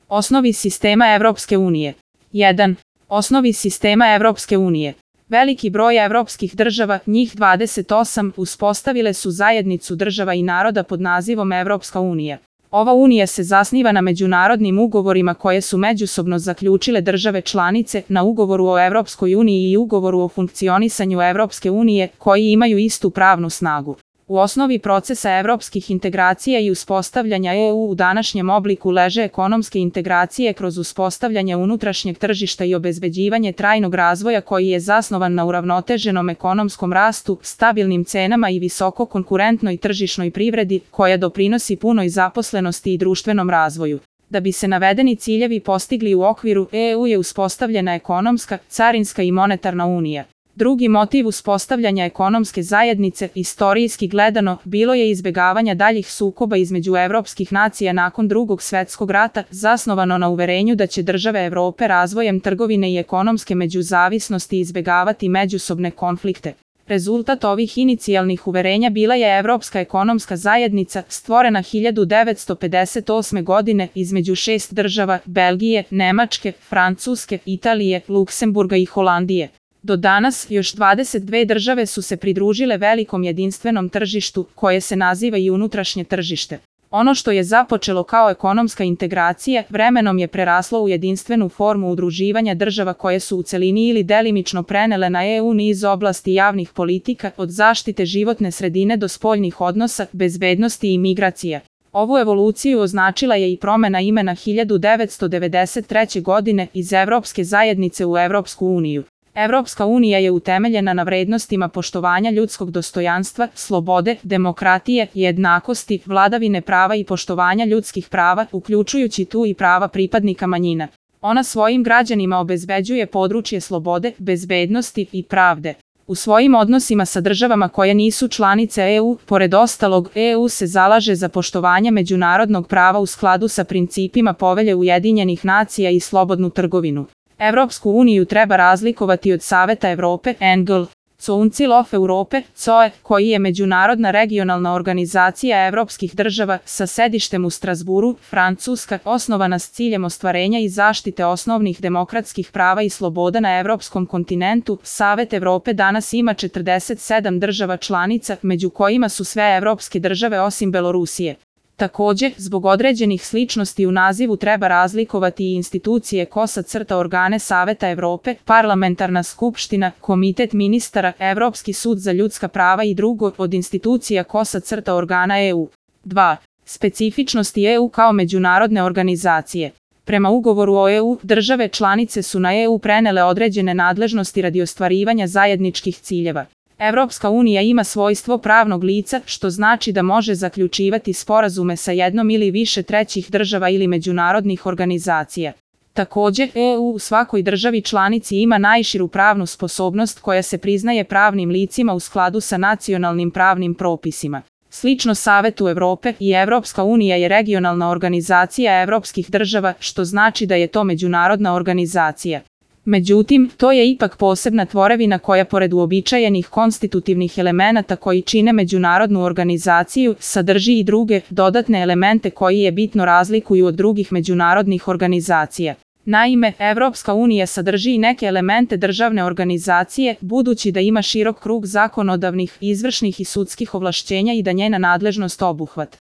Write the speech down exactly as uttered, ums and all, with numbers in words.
Osnovi sistema Evropske unije. jedan. Osnovi sistema Evropske unije. Veliki broj evropskih država, njih dvadeset osam, uspostavile su zajednicu država i naroda pod nazivom Evropska unija. Ova unija se zasniva na međunarodnim ugovorima koje su međusobno zaključile države članice, na ugovoru o Evropskoj uniji i ugovoru o funkcionisanju Evropske unije, koji imaju istu pravnu snagu. U osnovi procesa evropskih integracija i uspostavljanja E U u današnjem obliku leže ekonomske integracije kroz uspostavljanje unutrašnjeg tržišta i obezbeđivanje trajnog razvoja koji je zasnovan na uravnoteženom ekonomskom rastu, stabilnim cenama i visoko konkurentnoj tržišnoj privredi koja doprinosi punoj zaposlenosti i društvenom razvoju. Da bi se navedeni ciljevi postigli u okviru E U je uspostavljena ekonomska, carinska i monetarna unija. Drugi motiv uspostavljanja ekonomske zajednice, istorijski gledano, bilo je izbjegavanja daljih sukoba između evropskih nacija nakon Drugog svjetskog rata, zasnovano na uverenju da će države Evrope razvojem trgovine i ekonomske međuzavisnosti izbjegavati međusobne konflikte. Rezultat ovih inicijalnih uverenja bila je Evropska ekonomska zajednica, stvorena hiljadu devetsto pedeset osme. godine između šest država, Belgije, Nemačke, Francuske, Italije, Luksemburga i Holandije. Do danas, još dvadeset dve države su se pridružile velikom jedinstvenom tržištu, koje se naziva i unutrašnje tržište. Ono što je započelo kao ekonomska integracija, vremenom je preraslo u jedinstvenu formu udruživanja država koje su u celini ili delimično prenele na E U niz oblasti javnih politika, od zaštite životne sredine do spoljnih odnosa, bezbednosti i migracija. Ovu evoluciju označila je i promjena imena hiljadu devetsto devedeset treće. godine iz Evropske zajednice u Evropsku uniju. Evropska unija je utemeljena na vrednostima poštovanja ljudskog dostojanstva, slobode, demokratije, jednakosti, vladavine prava i poštovanja ljudskih prava, uključujući tu i prava pripadnika manjina. Ona svojim građanima obezbeđuje područje slobode, bezbednosti i pravde. U svojim odnosima sa državama koje nisu članice E U, pored ostalog, E U se zalaže za poštovanje međunarodnog prava u skladu sa principima Povelje Ujedinjenih nacija i slobodnu trgovinu. Evropsku uniju treba razlikovati od Saveta Evrope, N G L, Council of Europe, C O E, koji je međunarodna regionalna organizacija evropskih država sa sedištem u Strasburu, Francuska, osnovana s ciljem ostvarenja i zaštite osnovnih demokratskih prava i sloboda na evropskom kontinentu. Savet Evrope danas ima četrdeset sedam država članica, među kojima su sve evropske države osim Belorusije. Također, zbog određenih sličnosti u nazivu treba razlikovati i institucije kosa crta organe Saveta Evrope, Parlamentarna skupština, Komitet ministara, Evropski sud za ljudska prava i drugo od institucija kosa crta organa E U. dva. Specifičnosti E U kao međunarodne organizacije. Prema ugovoru o E U, države članice su na E U prenele određene nadležnosti radi ostvarivanja zajedničkih ciljeva. Evropska unija ima svojstvo pravnog lica, što znači da može zaključivati sporazume sa jednom ili više trećih država ili međunarodnih organizacija. Također, E U u svakoj državi članici ima najširu pravnu sposobnost koja se priznaje pravnim licima u skladu sa nacionalnim pravnim propisima. Slično Savetu Evrope, i Evropska unija je regionalna organizacija evropskih država, što znači da je to međunarodna organizacija. Međutim, to je ipak posebna tvorevina koja pored uobičajenih konstitutivnih elemenata koji čine međunarodnu organizaciju, sadrži i druge, dodatne elemente koji je bitno razlikuju od drugih međunarodnih organizacija. Naime, Evropska unija sadrži i neke elemente državne organizacije, budući da ima širok krug zakonodavnih, izvršnih i sudskih ovlašćenja i da njena nadležnost obuhvat